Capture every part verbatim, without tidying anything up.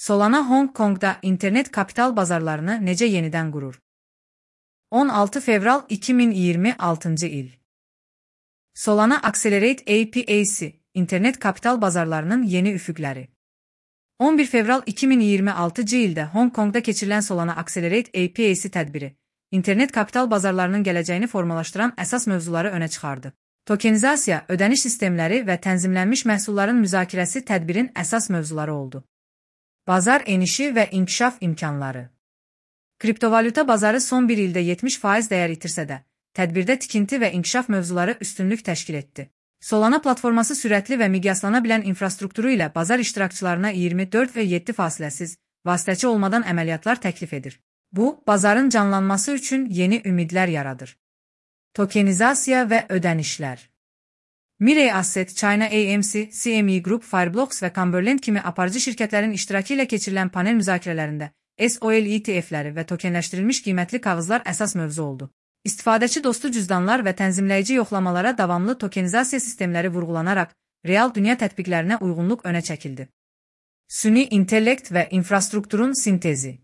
Solana Hong Kong'da internet kapital bazarlarını necə yenidən qurur? on altı fevral iki min iyirmi altıncı il. Solana Accelerate A P I'si, internet kapital bazarlarının yeni üfüqləri. on bir fevral iki min iyirmi altıncı ildə Hong Kong'da keçirilən Solana Accelerate A P I'si tədbiri, internet kapital bazarlarının gələcəyini formalaşdıran əsas mövzuları önə çıxardı. Tokenizasiya, ödəniş sistemləri və tənzimlənmiş məhsulların müzakirəsi tədbirin əsas mövzuları oldu. Bazar enişi və inkişaf imkanları. Kriptovalyuta bazarı son bir ildə yetmiş faiz dəyər itirsə də, tədbirdə tikinti və inkişaf mövzuları üstünlük təşkil etdi. Solana platforması sürətli və miqyaslana bilən infrastrukturu ilə bazar iştirakçılarına iyirmi dörd və yeddi fasiləsiz, vasitəçi olmadan əməliyyatlar təklif edir. Bu, bazarın canlanması üçün yeni ümidlər yaradır. Tokenizasiya və ödənişlər. Mirai Asset, China A M C, C M E Group, Fireblocks və Cumberland kimi aparıcı şirkətlərin iştirakı ilə keçirilən panel müzakirələrində S O L E T F'ləri və tokenləşdirilmiş qiymətli kağızlar əsas mövzu oldu. İstifadəçi dostu cüzdanlar və tənzimləyici yoxlamalara davamlı tokenizasiya sistemləri vurğulanaraq, real dünya tətbiqlərinə uyğunluq önə çəkildi. Süni intellekt və infrastrukturun sintezi.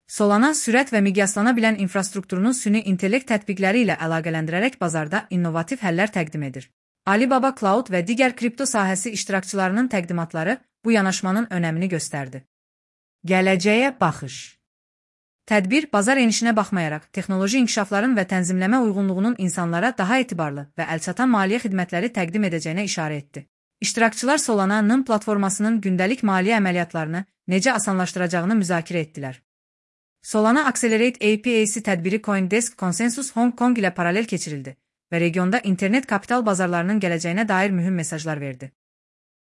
Solana sürət və miqyaslana bilən infrastrukturunu süni intellekt tətbiqləri ilə əlaqələndirərək bazarda innovativ həllər təqdim edir. Alibaba Cloud və digər kripto sahəsi iştirakçılarının təqdimatları bu yanaşmanın önəmini göstərdi. Gələcəyə baxış. Tədbir, bazar enişinə baxmayaraq, texnoloji inkişafların və tənzimləmə uyğunluğunun insanlara daha etibarlı və əlçatan maliyyə xidmətləri təqdim edəcəyinə işarə etdi. İştirakçılar Solana'nın platformasının gündəlik maliyyə əməliyyatlarını necə asanlaşdıracağını müzakirə etdilər. Solana Accelerate A P I'si tədbiri CoinDesk Consensus Hong Kong ilə paralel keçirildi və regionda internet kapital bazarlarının gələcəyinə dair mühüm mesajlar verdi.